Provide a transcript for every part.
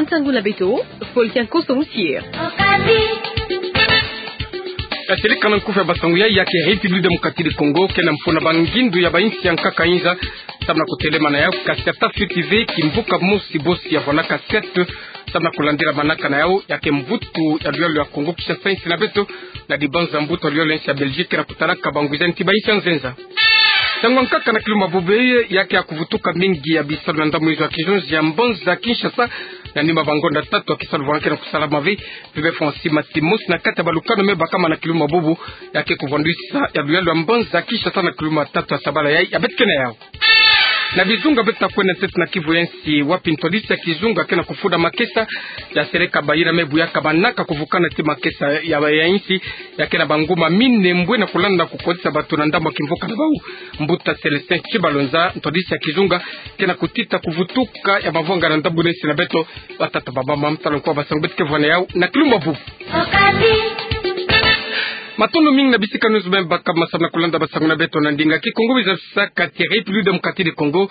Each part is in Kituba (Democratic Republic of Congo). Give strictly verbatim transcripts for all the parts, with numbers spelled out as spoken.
Nsangu na beto, Paul Kiankoso Musier. Katirika na nkufi ya basangu yai, ya ke République Démocratique du Congo ke na mfuna ba ngindu ya ba insi ya nkaka inza, samu na kutelemana yau, kasi ata fioti ve kimvuka mosi bosi ya vwanaka siat, samu na kulandila manaka na yau, ya ke mvutu ya luyalu ya Congo Kinshasa, insi na beto, na dibanza mbuta luyalu ya insi ya Belgique na kutalaka bangwiza nti ba insi ya nzenza. Ntangu ya nkaka na kilumbu bubu yai, ya ke ya kuvutuka mingi ya bisalu na ndambu inzo ya kizonzi ya mbanza Kinshasa, na nima ba ngonda tatu ya kisalu vwanga ke na kusalama ve, pebe Francis Matimos na kati ya balukanu me bakama na kilumbu bubu, ya ke kuvwandwisa ya luyalu ya mbanza Kinshasa na kilumbu tatu ya sabala yai ya beto ke na yau. Na bizunga beto na kwenda ntete na Kivu ya nsi, wapi ntwadisi ya kizunga ke na kufunda makesa ya seleka bayina me buyaka manaka kuvukana ti makesa ya, ya insi, ya ke na banguma minembwe na kulanda kukotisa bato na ndambu ya kimvuka na bau. Mbuta Célestin Tshibalonza, ntwadisi ya kizunga, ke na kutita kuvutuka ya mavanga na ndambu na insi na beto, batata, bamama, mtalonko wa basangu beto ke vwanda yau na kilumbu bubu. Matondo mingi na bisika nyonso beno bakama samu na kulanda basangu na beto na ndinga Kikongo, biza bisaka ti République Démocratique du Congo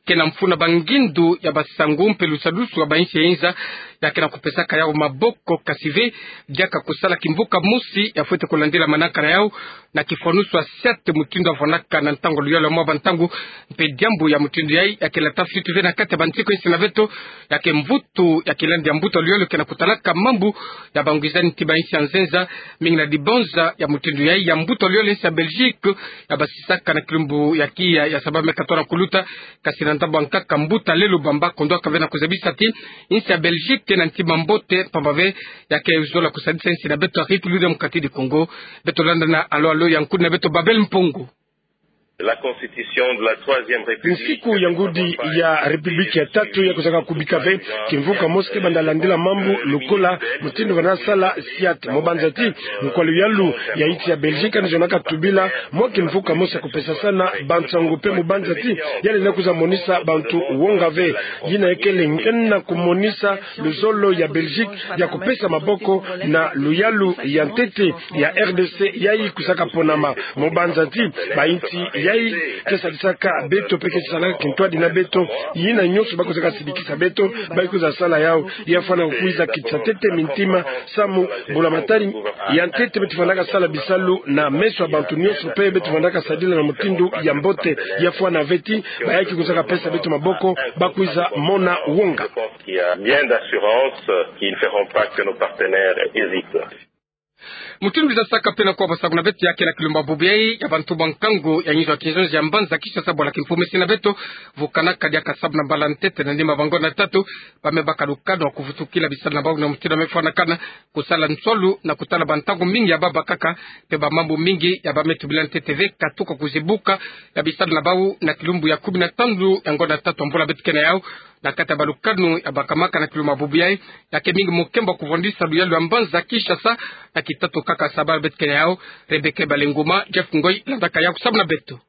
ke na mfuna ba ngindu ya basangu mpe lusadusu ya ba insi ya inza, ya ke na kupesaka yau maboko, kasi ve diaka kusala kimvuka mosi ya fwete kulandila manaka na yau na kifwanusu ya siat mutindu ya vwanaka na ntangu luyalu ya mwa bantangu, mpe diambu ya mutindu yai ya ke lata fioti ve na kati ya bansiku ya insi na beto, ya ke mvutu ya kilandi ya mbuta luyalu ke na kutalaka mambu ya bangwiza nti ba insi ya nzenza, mingi na dibanza ya mutindu yai ya mbuta luyalu ya insi ya Belgique, ya basisaka na kilumbu ya kiya ya sabala me katwala kuluta, kasi na ndambu ya nkaka mbuta Lelo Bamba kondwaka ve na kuzabisa ti insi ya Belgique ke na ntima mbote, pamba ve ya ke zola kusadisa insi na beto ya République Démocratique du Congo. Beto landa na alo alo ya nkudi na beto Babel Mpongo. La constitution de la troisième république. Nsiku ya ngudi ya République ya tatu ya kwizaka kubika ve kimvuka mosi ke banda landila mambu lokola mutindu bana sala siat. Mu banza ti mukwa luyalu ya insi ya Belgique yandi zonaka tubila mwa kimvuka mosi ya kupesasana bansangu, mpe mu banza ti yandi lenda kwiza monisa bantu wonga ve. Yina ya kele nge na kumonisa luzolo ya Belgique ya kupesa maboko na luyalu ya ntete ya R D C yai kwizaka ponama. Mu banza ti ba insi yai ke sadisaka beto mpe ke salaka kintwadi na beto, yina nyonso ba kwizaka sidikisa beto, ba kwiza sala yau. Ya fwana kwiza kitisa ntete mintima, samu mbulamatari ya ntete beto vandaka sala bisalu na meso ya bantu nyonso, mpe beto vandaka sadila na mutindu ya mbote. Ya fwana ve ti ba yai ke kwizaka pesa beto maboko ba kwiza mona wonga. Qui a bien d'assurance qu'ils ne feront pas que nos partenaires hésitent. Mutindu biza saka mpe na kwa basangu na beto, ya ke na kilumbu bubu yai ya bantumwa nkangu ya nzo ya kizonzi ya mbanza Kinshasa, bwala kimfumu insi na beto vukanaka diaka samu na mbala ntete na nima ba ngonda tatu, ba me baka lukanu ya kuvutukila bisalu na bau na mutindu ya me fwanakana, kusala nswalu na kutala bantangu mingi ya ba bakaka, mpe ba mambu mingi ya ba me tubila ntete ve katuka kuzibuka ya bisalu na bau na kilumbu ya kumi na tanu ya ngonda tatu ya mvula beto ke na yau, na kati ya balukanu ya bakamaka na kilumbu bubu yai, ya ke mingi mukembo ya kuvwandisa luyalu ya mbanza Kinshasa na kitatu kaka sabala beto ke na yau. Rebecca Balenguma, Jeff Ngoi landaka yau samu na beto.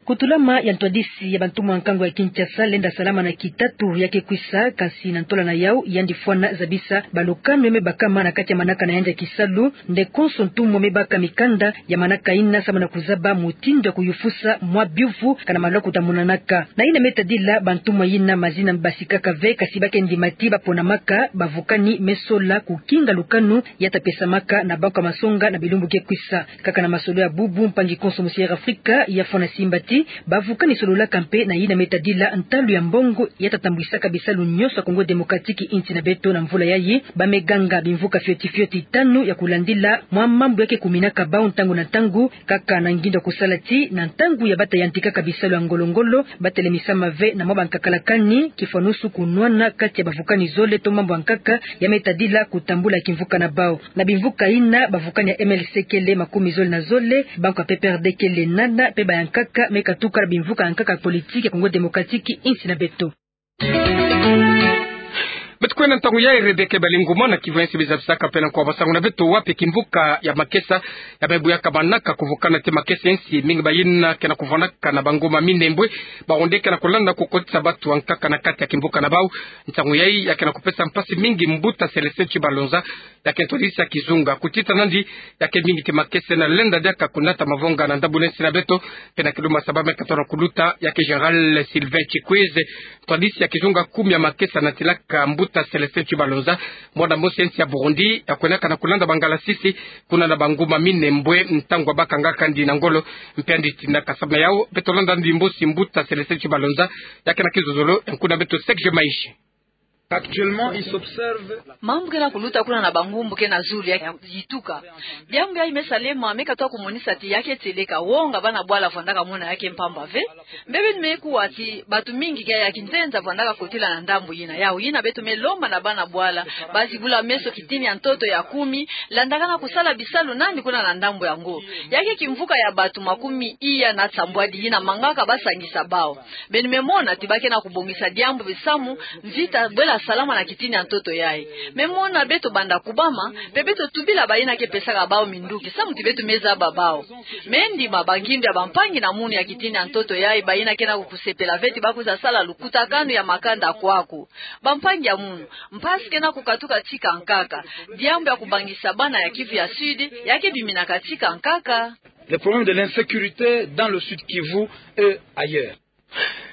Kutulama ya ntwadisi ya bantumwa nkangu ya Kinshasa lenda salama na kitatu ya ke kwisa, kasi na ntola na yau yandi fwana zabisa balukanu ya me bakama na kati ya manaka na yandi ya kisalu, nde konso ntumwa me baka mikanda ya manaka yina samu na kuzaba mutindu ya kuyufusa mwa biuvu kana malwa kuta monanaka. Na yina me tadila bantumwa yina, mazina basikaka ve, kasi ba ke ndima ti ba ponamaka bavukani me sola kukinga lukanu ya ta pesamaka na banko ya masonga na bilumbu ke kwisa. Kaka na masolo ya bubu, mpangi konso Musier Afrika ya fwana simba ti bavukani sololaka mpe na yina me tadila ntalu ya mbongo ya ta tambwisaka bisalu nyonso ya Congo Démocratique, insi na beto, na mvula yai. Ba me ganga bimvuka fioti fioti tanu ya kulandila mwa mambu ya ke kuminaka bau ntangu na ntangu, kaka na ngindu ya kusala ti na ntangu ya ba ta yantikaka bisalu ya ngolo-ngolo, ba telemisama ve na mwa bankakalakani, kifwanusu kunwana kati ya bavukani zole to mambu ya nkaka ya me tadila kutambula kimvuka na bau. Na bimvuka yina, bavukani ya M L C kele makumi zole na zole, banko ya P P R D kele nana, mpe ba ya nkaka me katuka na bimvuka ya nkaka ya politiki ya Congo Démocratique, insi na beto. Beto kwenda ntangu yai, Rebecca Balenguma, na Kivu ya nsi biza bisaka mpe na kwa basangu na beto wapi kimvuka ya makesa ya me buyaka manaka kuvukana ti makesa ya nsi, mingi ba yina ke na kuvwanaka na bangoma minembwe, ba onde ke na kulanda kukotisa bato ya nkaka na kati ya kimvuka na bau. Ntangu yai ya ke na kupesa mpasi mingi mbuta Célestin Tshibalonza, ya ke ntwadisi ya kizunga. Kutita nandi, ya ke mingi ti makesa na lenda diaka kunata mavonga na ndambu na nsi na beto, mpe na kilumbu ya saba me katona kuluta, ya ke Général Sylvain Tshikwezi, Ntwadisi ya kizunga kumi ya makesa natilaka mbuta Célestin Tshibalonza, mwana mosi ya nsi ya Burundi, ya kwenaka na kulanda bangalasisi kuna na banguma Minembwe, ntangu abakanga kandi na ngolo, mpe andi tindaka. Samu na yau, beto landa andi mbosi mbuta Célestin Tshibalonza, ya ke na kizozolo ya nkuna beto Serge Maishe. Actuellement, il s'observe. Mambu ke na kuluta kuna na bangumbu ke na zulu ya yituka. Diambu yayi me salema, me katuka kumonisa ti ya ke tieleka, wonga bana bwala vwandaka mona ya ke mpamba ve. Mpe beno me kuwa ti batu mingi ke ya kinzenza vwandaka kotila na ndambu yina. Yau yina beto me lomba na bana bwala bazibula meso kitini ya ntoto ya kumi, landaka na kusala bisalu nani kuna na ndambu yango. Ya ke kimvuka ya batu makumi iya na nsambwadi yina mangaka basangisa bau. Beno me mona ti ba ke na kubongisa diambu bisamu, mvita bwela salama na kitini ya ntoto yayi. Me mona beto banda kubama, mpe beto tubila bayina ke pesaka bau minduki, samu ti beto me zaba bau. Me ndima bangindu ya bampangi na munu ya kitini ya ntoto yayi, bayina ke na kukusepela ve ti ba kwiza sala lukutakanu ya makanda kwaku. Bampangi ya munu, mpasi ke na kukatuka tika nkaka. Diambu ya kubangisa bana ya Kivu ya Sud, ya ke biminaka tika nkaka. Le problème de l'insécurité dans le Sud Kivu et ailleurs.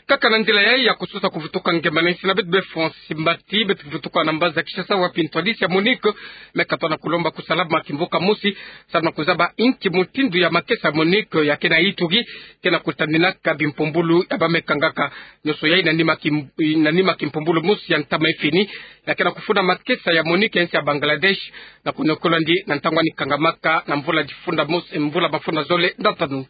Kaka na nzila yayi ya kusosa kuvutuka ngemba na insi na beto, be Francis Mbati, beto kuvutuka na mbanza Kinshasa, wapi ntwadisi ya MONUC me katuka na kulomba kusalama kimvuka mosi, samu na kuzaba inki mutindu ya makesa ya MONUC ya ke na Ituri ke na kutaninaka bimpumbulu ya ba me kangaka. Nionso yayi na nima kim-, na nima kimpumbulu mosi ya ntama ya fini, ya ke na kufunda makesa ya MONUC ya nsi ya Bangladesh, na kuniokolandi na ntangu ani kangamaka na mvula difunda mosi, mvula mafunda zole na tanu.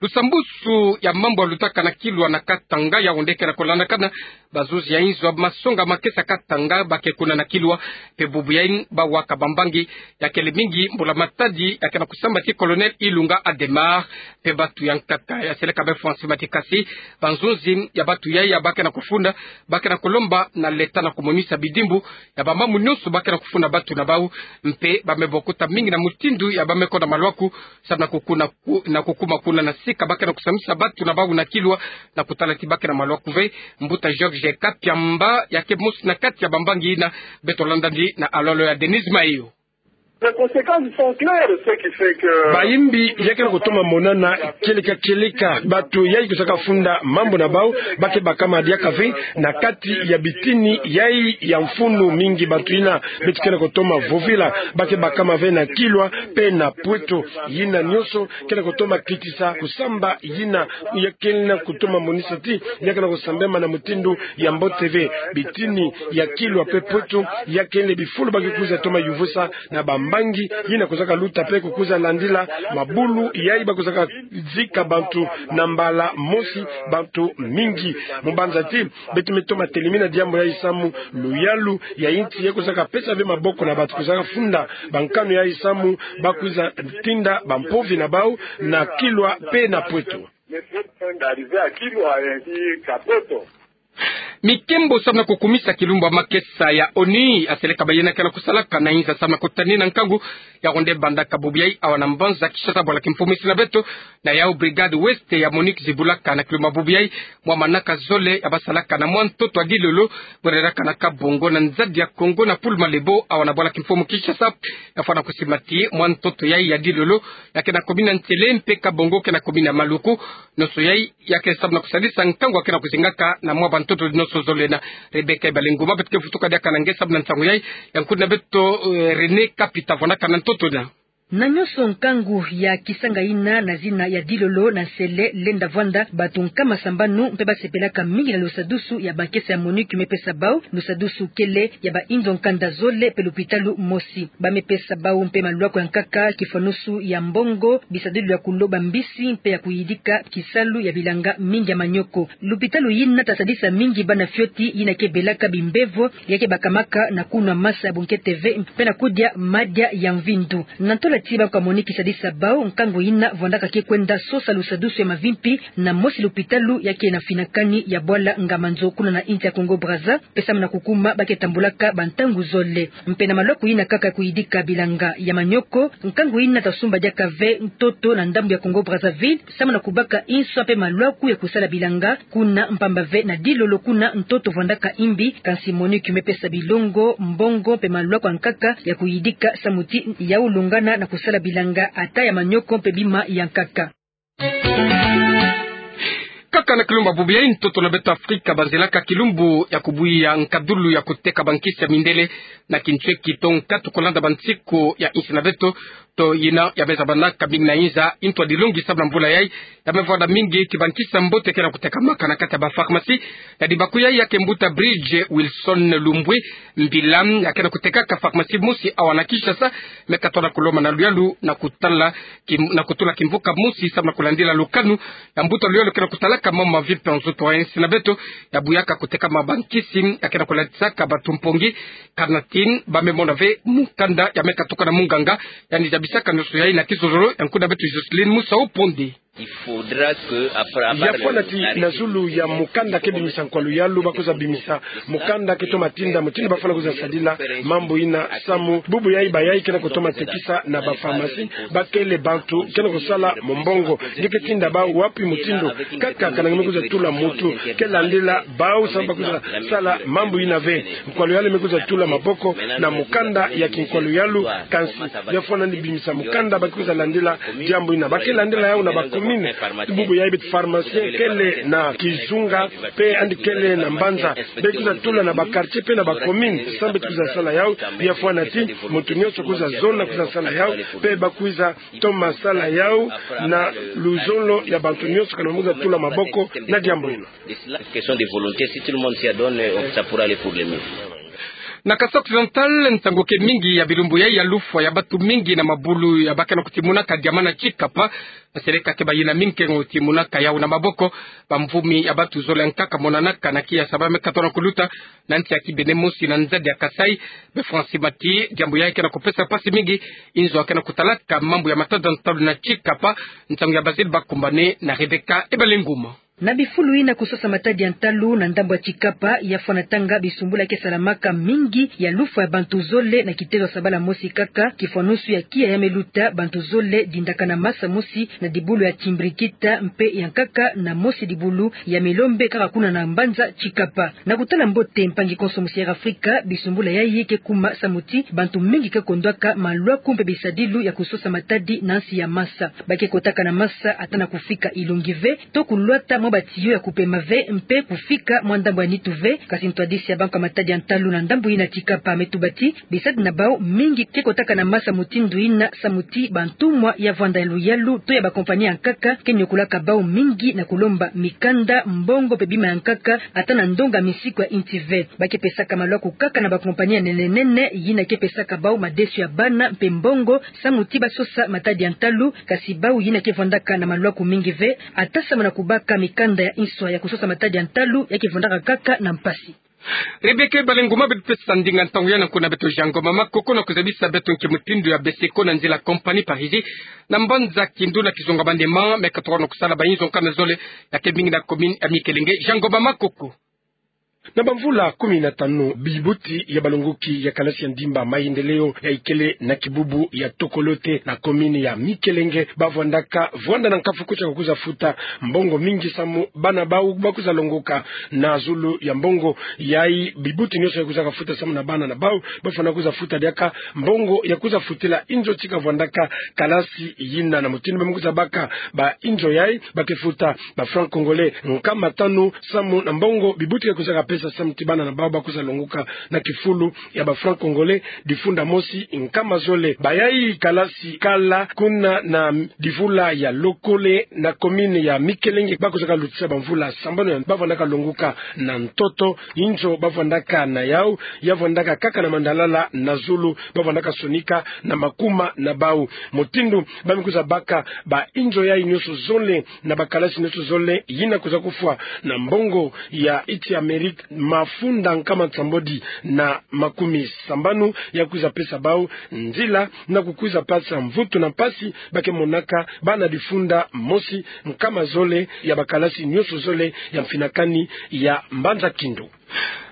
Lusambusu ya mambu ya lutaka na Kilwa na Katanga, yau nde ke na kulandakana. Bazuzi ya inzo ya masonga makesa Katanga ba ke kuna na Kilwa, mpe bubu yayi bawaka bambangi, ya kele mingi mbula-matadi ya ke na kusamba ti Colonel Ilunga Adhémar, mpe batu ya nkaka. Ya seleka be Francis Mbati, kasi banzuzi ya batu yayi ya ba ke na kufunda, ba ke na kulomba na leta na kumonisa bidimbu ya bamambu nionso ba ke na kufunda batu na bau, mpe ba me bokuta mingi na mutindu ya ba me konda maluaku, samu na kukuna ku-, na kukuma kuna na sika ba ke na kusambisa batu na bau na Kilwa, na kutala ti ba ke na maluaku ve. Mbuta Georges Kapiamba, ya ke mosi na kati ya bambangi yina, beto landandi na alolo ya Denise Mayo. Les conséquences sont claires, ce qui fait que... Bayimbi ya ke na kutoma monana kieleka kieleka. Batu yayi kusaka funda mambu na bau, ba ke bakama diaka ve na kati ya bitini yayi ya mfunu mingi. Batu yina beto ke na kutoma vovila, ba ke bakama ve na Kilwa mpe na Pweto. Yina nionso ke na kutoma kitisa kusamba yina ya ke na kutoma monisa ti ya ke na kusambema na mutindu ya mbote ve. Bitini ya Kilwa mpe Pweto ya kele bifulu ba ke kwiza toma yuvusa na bambangi yina kusaka luta mpe kukwiza landila mabulu yayi ba kusaka zika bantu na mbala mosi, bantu mingi. Mu mbanza ti beto me toma telemina diambu yayi samu luyalu ya insi ya kusaka pesa ve maboko na batu kusaka funda bankanu yayi samu ba kwiza tinda bampovi na bau na Kilwa mpe na Pweto. Mikembo samu na kukumisa kilumbu ya makesa ya ONU, aseleka bayina ke na kusalaka na inza samu na kutanina nkangu, yau nde bandaka bubu yayi awa na mbanza Kinshasa, bwala kimfumu isi na beto. Na yau Brigade Ouest ya MONUC zibulaka na kilumbu ya bubu yayi mwa manaka zole ya ba salaka na mwa ntoto ya Dilolo, bwelelaka na Kabongo na nzadi ya Kongo na Pool Malebo, awa na bwala kimfumu Kinshasa. Ya fwana kusima ti mwa ntoto yayi ya Dilolo ya ke na commune ya Nsele, mpe Kabongo ke na commune ya Maluku. Nionso yayi ya ke samu na kusadisa nkangu ya ke na kuzingaka na mwa bantoto nionso zole. Na Rebecca Ibalenguma, beto ke vutuka diaka na nge samu na nsangu yayi. Ya nkuni na beto, eh, René Kapita, vwandaka na ntoto na. Na nionso nkangu ya kisanga yina na zina ya Dilolo na Nsele lenda vwanda, batu nkama sambanu mpe ba sepelaka mingi na lusadusu ya makesa ya MONUC me pesa bau. Lusadusu kele ya bayindo nkanda zole mpe lupitalu mosi. Ba me pesa bau mpe maluaku ya nkaka, kifwanusu ya mbongo, bisadulu ya kuloba mbisi mpe ya kuyidika kisalu ya bilanga mingi ya manioko. Lupitalu yina ta sadisa mingi bana fioti yina ke belaka bimbevo, ya ke bakamaka na kunwa masa ya bunkete ve mpe na kudia madia ya mvindu. Na ntola ti bankwa MONUC sadisa bau, nkangu yina vwandaka ke kwenda sosa lusadusu ya mavimpi na mosi lupitalu ya ke na finakani ya bwala Ngamandzo kuna na insi ya Congo Brazza, mpe samu na kukuma ba ke tambulaka bantangu zole. Mpe na maluaku yina kaka ya kuyidika bilanga ya manioko, nkangu yina ta sumba diaka ve ntoto na ndambu ya Congo Brazzaville, samu na kubaka inswa mpe maluaku ya kusala bilanga kuna, mpamba ve na Dilolo kuna ntoto vwandaka imbi. Kansi MONUC me pesa bilongo, mbongo mpe maluaku ya nkaka ya kuyidika samu ti yau longana na kusala bilanga ata ya manioko mpe bima ya nkaka. Bakaka na kilumbu bubu yai, ntoto na beto Afrika banzilaka kilumbu ya kubuya nkadulu ya kuteka bankisi ya mindele na kintweki to nkatu, kolanda bansiku ya insi na beto, to yina ya me zabanaka mingi na inza. Ntu a dilongi samu na mbula yai, ya me vwanda mingi kibankisi ya mbote ke na kutekamaka na kati ya bapharmacie. Ya dibaku yai, ya ke mbuta Bridge Wilson Lumbwe Mbila, ya ke na kutekaka pharmacie mosi awa na Kinshasa, me katona kulomba na luyalu na kutala kim-, na kutula kimvuka mosi samu na kulandila lukanu ya mbuta luyalu ke na kutalaka mambu ma vie mpe nzoto ya insi na beto. Ya buyaka kuteka mabankisi, ya ke na kulandisaka bato mpongi, carnitine, ba me mona ve mukanda ya me katuka na munganga, yandi zabisaka nioso yai na kizololo ya nkuna beto Jocelyn Musa Oponde. Ya fwana ti na zulu ya mukanda ke bimisa nkwalu yalu, bakwiza bimisa mukanda ke toma tinda mutindu bafwana kwiza sadila mambu yina, samu bubu yai bayai ke na kutoma tekisa na bapharmacie, bakele bantu ke na kusala mombongo. Nge ke tinda bau wapi mutindu kaka kananga me kwiza tula mutu ke landila bau, samu bakwiza sala mambu yina ve. Nkwalu yalu me kwiza tula maboko na mukanda ya kinkwalu yalu, kansi ya fwana ni bimisa mukanda, ba ke kwiza landila diambu yina. Ba ke landila yau na bacommune. Bubu yai beto pharmacien kele na kizunga, mpe yandi kele na mbanza. Be kwiza tula na baquartier mpe na bacommune, samu beto kwiza sala yau. Ya fwana ti mutu nioso kwiza zonza kwiza sala yau, mpe bakwiza toma sala yau na luzolo ya bantu nioso kana me kwiza tula maboko na diambu yina. Question de volonté, si tout le monde s'y adonne, on, ça pourra aller pour le mieux. Na Kasaï Occidental, nsangu ke mingi ya bilumbu yai ya lufwa ya bantu mingi na mabulu ya ba ke na kutimunaka diamant na Tshikapa. Maseleka ke bayina mingi ke na kutimunaka yau na maboko. Bamvumi ya bantu zole nkaka monanaka na kiasa ba me katona kuluta na nsi ya kibene mosi na nzadi ya Kasaï. Be Francis Mati, diambu yai ke na kupesa mpasi mingi inzo a ke na kutalaka mambu ya matada ntalu na Tshikapa. Nsangu ya Basile Bakumbane na Rebecca Ebalenguma. Na bifulu yina kusosa matadi ya ntalu na ndambu ya Tshikapa, ya fwana tanga bisumbula ke salamaka mingi ya lufwa ya bantu zole na kitezo ya sabala mosi kaka, kifwanusu ya kiya ya me luta bantu zole dindaka na masa mosi na dibulu ya Timbrikita, mpe ya nkaka na mosi dibulu ya Milombe kaka kuna na mbanza Tshikapa. Na kutala mbote mpangi konso mosi ya Afrika, bisumbula yai ke kuma samu ti bantu mingi ke kondwaka malwaku mpe bisadilu ya kusosa matadi na nsi ya masa. Ba ke kotaka na masa ata na kufika ilongi ve, to kulwata mwa batiyo ya kupema ve, mpe kufika mwa ndambu ya nitu ve. Kasi ntwadisi ya bantu ya matadi ya ntalu na ndambu yina Tshikapa me tuba ti bisadi na bau mingi ke kotaka na masa mutindu yina samu ti bantumwa ya vwanda ya luyalu to ya bakompani ya nkaka ke niokolaka bau mingi na kulomba mikanda, mbongo mpe bima ya nkaka, ata na ndonga misiku ya inti ve. Ba ke pesaka malwaku kaka na bakompani ya nene nene yina ke pesaka bau madesu ya bana mpe mbongo samu ti basosa matadi ya ntalu, kasi bau yina ke vwandaka na malwaku mingi ve, ata samu na kubaka mikanda ya nswa ya kusosa matadi ya ntalu, ya ke vwandaka kaka na mpasi. Rebecca Ebalenguma, beto pesa ndinga ntangu ya na nkuna beto Jean Ngoma Makoko na kuzabisa beto nki mutindu ya beseko na nzila compagnie Parisi na mbanza Kindu na kizonga Maniema me katoka na kusala ba inzo nkama zole ya ke mingi na commune ya Mikelenge. Jean Ngoma Makoko. Na bamvula kumi na tanu, bibuti ya balongoki ya kalasi ya ndimba mayendeleo ya ikele na kibubu ya Tokolote na commune ya Mikelenge, ba vwandaka vwanda na nkafu kutia kwiza futa mbongo mingi samu bana bau ba kwiza longoka. Na zulu ya mbongo yai, bibuti nioso ya kwizaka futa samu na bana na bau, ba fwana kwiza futa diaka mbongo ya kwiza futila inzo ti kavwandaka kalasi yina. Na mutindu ba me kwiza baka ba inzo yai, ba ke futa ba francs congolais nkama tanu samu na mbongo bibuti ke kwizaka pesa samu ti bana na bau ba kwiza longoka na kifulu ya ba francs congolais difunda mosi nkama zole. Bayai kalasi kala kuna na divula ya Lokole na commune ya Mikelenge, ba kwizaka lutisa bamvula sambanu ya ba vwandaka longoka na ntoto. Inzo ba vwandaka na yau, ya vwandaka kaka na mandalala na zulu, ba vwandaka sonika na makuma na bau. Mutindu ba me kwiza baka ba inzo yai nioso zole na bakalasi nioso zole, yina kwiza kufwa na mbongo ya insi ya Amerika mafunda nkama nsambwadi na makumi sambanu, ya kwiza pesa bau nzila na kukwiza pasa mvutu na mpasi ba ke monaka bana difunda mosi nkama zole ya bakalasi nioso zole ya mfinakani ya mbanza Kindu.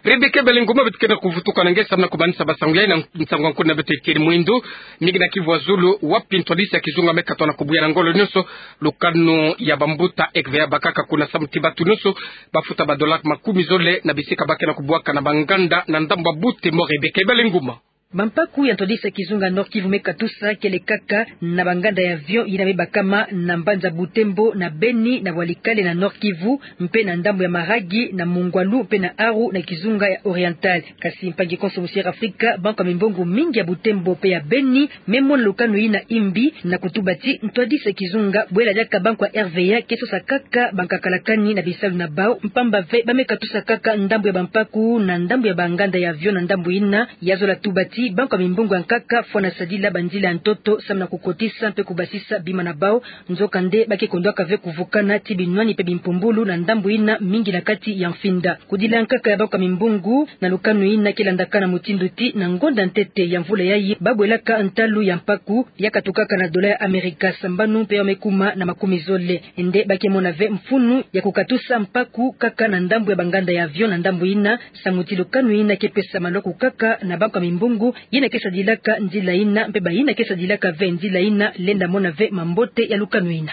Rebecca Ebalenguma, beto ke na kuvutuka na nge samu na kumanisa basangu yai na nsangu ya nkuna beto Etienne Mwindu. Mingi na kivu ya zulu, wapi ntwadisi ya kizunga me katoka na kubuya na ngolo nioso lukanu ya bambuta E C V A bakaka kuna samu ti batu nioso ba futa ba dollars makumi zole na bisika ba ke na kubwaka na banganda na ndambu ya Butembo. Rebecca Ebalenguma. Bampaku ya ntwadisa kizunga Nord-Kivu me katusa kele kaka na banganda ya avion yina me bakama na mbanza Butembo, na Beni, na Walikale, na Nord-Kivu, mpe na ndambu ya Maragi, na Mungwalu mpe na Aru na kizunga ya Oriental. Kasi mpangi konso musi Air Afrika, banko ya mimbongo mingi ya Butembo mpe ya Beni me mona lukanu yina imbi, na kutuba ti ntwadisa kizunga bwela diaka banko ya R V A ke sosa kaka bankakalakani na bisalu na bau, mpamba ve ba me katusa kaka ndambu ya bampaku na ndambu ya banganda ya avion na ndambu yina. Ya zola tuba ti banko ya mimbongo ya nkaka fwana sadila banzila ya ntoto samu na kukotisa mpe kubasisa bima na bau. Nzokande ba ke kondwaka ve kuvukana ti binwani mpe bimpumbulu na ndambu yina mingi na kati ya mfinda. Kudila nkaka ya banko ya mimbongo na lukanu yina ke landakana mutindu ti na ngonda ntete ya mvula yayi ba bwelaka ntalu ya mpaku ya katukaka na dola ya Amerika sambanu mpe ya me kuma na makumi zole. Nde ba ke mona ve mfunu ya kukatusa mpaku kaka na ndambu ya banganda ya avion na ndambu yina, samu ti lukanu yina ke pesa maloko kaka na banko ya mimbongo yina ke sadilaka nzila yina mpe bayina ke sadilaka ve nzila yina lenda mona ve mambote ya lukanu yina.